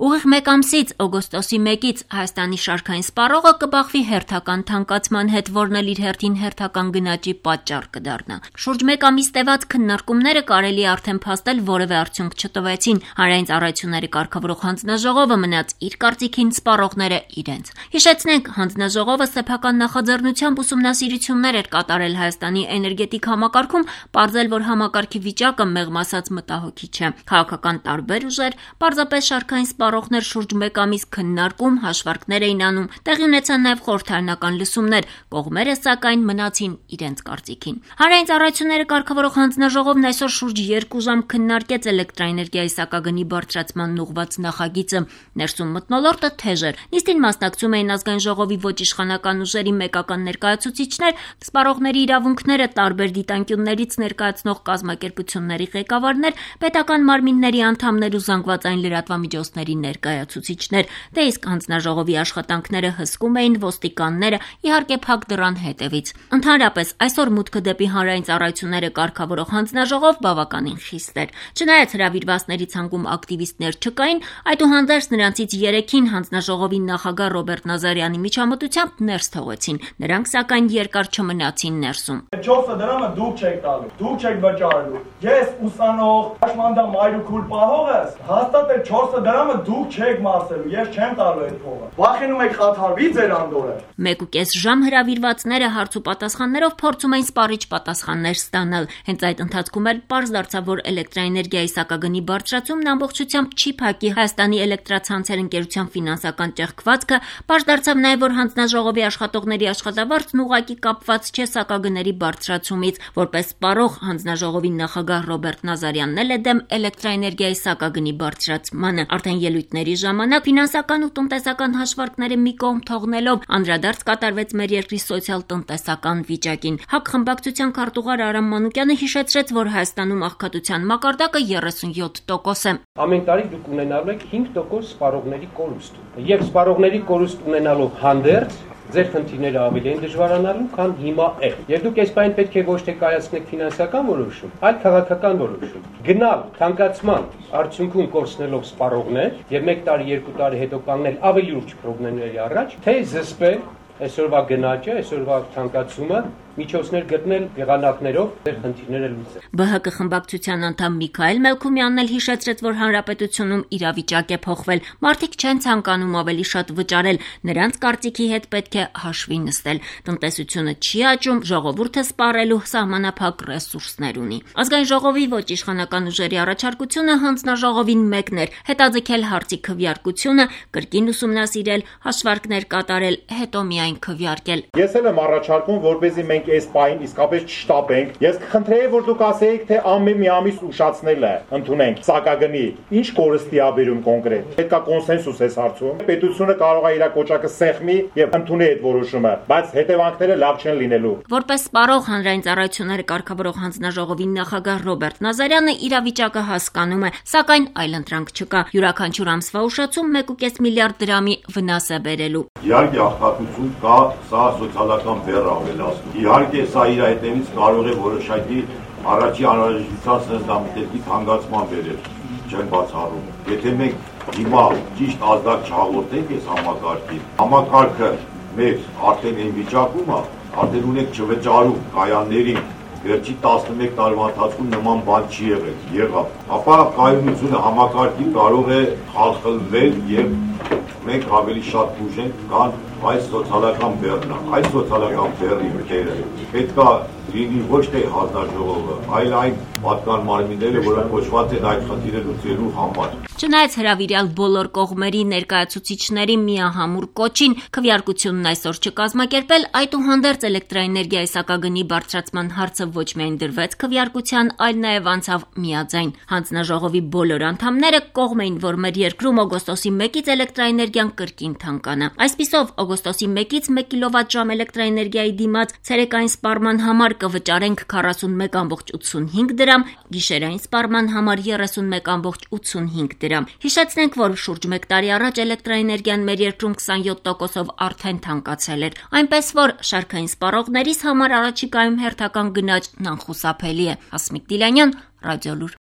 Ուղիղ մեկ ամսից օգոստոսի 1-ից Հայաստանի շարքային սպառողը կբախվի հերթական թանկացման հետ, որն էլ իր հերթին հերթական գնաճի պատճառ կդառնա։ Շուրջ մեկ ամիս տևած քննարկումները կարելի է արդեն փաստել որևէ արդյունք չտվեցին։ Հանրային ծառայությունների կարգավորող հանձնաժողովը մնաց իր կարծիքին, սպառողները իրենց։ Հիշեցնենք, հանձնաժողովը սեփական նախաձեռնությամբ ուսումնասիրություններ էր կատարել Հայաստանի էներգետիկ համակարգում, պարզել, որ համակարգի վիճակը մեղմ ասած մտահոգիչ չէ։ Քաղաքական տարբեր ուժեր, պարզապես շարքային սպառողներ շուրջ մեկ ամիս քննարկում, հաշվարկներ էին անում, տեղի ունեցան նաև խորհրդարանական լսումներ, կողմերը սակայն մնացին իրենց կարծիքին։ Հանրային ծառայությունների կարգավորող հանձնաժողովն այսօր շուրջ 2 ժամ քննարկեց էլեկտրաէներգիայի սակագնի բարձրացմանն ուղղված նախագիծը։ Ներսում մթնոլորտը թեժ էր։ Նիստին մասնակցում էին ազգային ժողովի ոչ իշխանական ուժերի մեկական ներկայացուցիչներ, սպառողների իրավունքները տարբեր դիտանկյուններից ներկայացնող կազմակերպությունների ղեկավարներ, պետական մարմինների անդամներ ու զանգվածային լրատվամիջոցների ներկայացուցիչներ, դե իսկ հանձնաժողովի աշխատանքները հսկում էին ոստիկանները, իհարկե փակ դռան հետևից։ Ընդհանրապես այսօր մուտքը դեպի հանրային ծառայությունները կարգավորող հանձնաժողով բավականին խիստ էր։ Չնայած հրավիրվածների ցանկում ակտիվիստներ չկային, այդուհանդերձ նրանցից 3-ին հանձնաժողովի նախագահ Ռոբերտ Նազարյանի միջամտությամբ ներս թողեցին։ Նրանք սակայն երկար չմնացին ներսում։ 4 դրամը դուք չեք տալու, դուք չեք վճարելու։ Ես ուսանող, հաշմանդամ մայրուքուր պահող ես, հաստատ է 4 դրամը դուք չեք մարսելու, ես չեմ տալու այդ փողը։ Վախենում եք խաթարվի ձեր անդորը։ 1.5 ժամ հրավիրվածները հարց ու պատասխաններով փորձում էին սպառիչ պատասխաններ ստանալ։ Հենց այդ ընթացքում էլ պարզ դարձավ, որ էլեկտրաէներգիայի սակագնի բարձրացումն ամբողջությամբ չի փակի Հայաստանի էլեկտրացանցեր ընկերության ֆինանսական ճեղքվածքը, պարզ դարձավ նաև, որ հանձնաժողովի աշխատողների աշխատավարձն ուղղակի կապված չէ սակագների բարձրացումից։ Որպես սպառող հանձնաժողովի նախագահ Ռոբերտ Նազարյանն էլ է դեմ էլեկտրաէներգիայի սակագնի բարձրացմանը։ Արդեն ելույթների ժամանակ ֆինանսական ու տնտեսական հաշվարկները մի կողմ թողնելով անդրադարձ կատարվեց մեր երկրի սոցիալ-տնտեսական վիճակին։ ՀԱԿ խմբակցության քարտուղար Արամ Մանուկյանը հիշեցրեց, որ Հայաստանում աղքատության մակարդակը 37% է։ Ամեն տարի դուք ունենալու եք 5% սպառողների կորուստ։ Եվ սպառողների կորուստ ունենալով հանդերձ ձեր խնդիրները ավելի են դժվարանալու, քան հիմա է։ Եվ դուք այս բանը պետք է ոչ թե կայացնեք ֆինանսական որոշում, այլ քաղաքական որոշում։ Գնալ թանկացման արդյունքում կորցնելով սպառողներ եւ 1 տարի, 2 տարի հետո կանգնել ավելի լուրջ խնդիրների առաջ, թե զսպել այսօրվա գնաճը, այսօրվա թանկացումը, միջոցներ գտնել եղանակներով ձեր խնդիրները լուծել։ ԲՀԿ խմբակցության անդամ Միքայել Մելքումյանն էլ հիշեցրեց, որ հանրապետությունում իրավիճակ է փոխվել։ Մարդիկ չեն ցանկանում ավելի շատ վճարել, նրանց կարծիքի հետ պետք է հաշվի նստել։ Տնտեսությունը չի աճում, ժողովուրդը սպառելու սահմանափակ ռեսուրսներ ունի։ Ազգային ժողովի ոչ իշխանական ուժերի առաջարկությունը հանձնաժողովին մեկն էր՝ հետաձգել հարցի քվեարկությունը, կրկին ուսումնասիրել, հաշվարկներ կատարել, հետո միայն քվեարկել։ Ես էլ եմ առաջարկում, որպեսզի մենք այս պահին իսկապես չշտապենք։ Ես կխնդրեի, որ դուք ասեիք, թե ամեն մի ամիս ուշացնել է, ընդունենք սակագնի։ Ինչ կորստի է բերում կոնկրետ։ Պետք է կոնսենսուս այս հարցում։ Պետությունը կարող է իր կոճակը սեղմի եւ ընդունի այդ որոշումը, բայց հետևանքները լավ չեն լինելու։ Որպես սպառող հանրային ծառայությունները կարգավորող հանձնաժողովի նախագահ Ռոբերտ Նազարյանը իրավիճակը հասկանում է, սակայն այլընտրանք չկա։ Յուրաքանչյուր ամսվա ուշացում 1.5 միլիարդ դրամի վնաս է բերելու։ Իհարկե աղքատություն կա, սա սոցիալական բեռ ավելացնում։ Իհարկե սա իր հետևից կարող է որոշակի առաջի անհրաժեշտության սննդամթերքի թանկացման բերել, չեմ բացառում։ Եթե մենք հիմա ճիշտ ազդակ չհաղորդենք այս համակարգին, համակարգը մեր արդեն այն վիճակում է, արդեն ունենք չվճարում կայաններին, վերջի 11 տարվա ընթացքում նման բան չի եղել, ապա կայունությունը համակարգի կարող է խախտվել եւ մենք ավելի շատ ուժենք, քան այս սոցիալական բեռնը, այս սոցիալական բեռի մկերը պետք է լինի ոչ թե հանձնաժողովը, այլ այն պատկան մարմինները, որոնք կոչված են այդ խնդիրը լուծելու համար։ Չնայած հրավիրյալ բոլոր կողմերի ներկայացուցիչների միահամուռ կոչին քվեարկությունն այսօր չկազմակերպել, այդուհանդերձ էլեկտրաէներգիայի սակագնի բարձրացման հարցը ոչ միայն դրվեց քվեարկության, այլ նաև անցավ միաձայն։ Հանձնաժողովի բոլոր անդամները կողմ էին, որ մեր երկրում օգոստոսի 1-ից էլեկտրաէներգիան կրկին թանկանա։ Այսպիսով օգոստոսի 1-ից 1 կիլովատժամ էլեկտրաէներգիայի դիմաց ցերեկային սպառման համար կվճարենք 41.85 դրամ, գիշերային սպառման համար 31.85 դրամ։ Հիշեցնենք, որ շուրջ 1 տարի առաջ էլեկտրաէներգիան մեր երկրում 27%-ով արդեն թանկացել էր, այնպես որ շարքային սպառողներիս համար առաջիկայում հերթական գնաճն անխուսափելի է։ Հասմիկ Դիլանյան, Ռադիոլուր։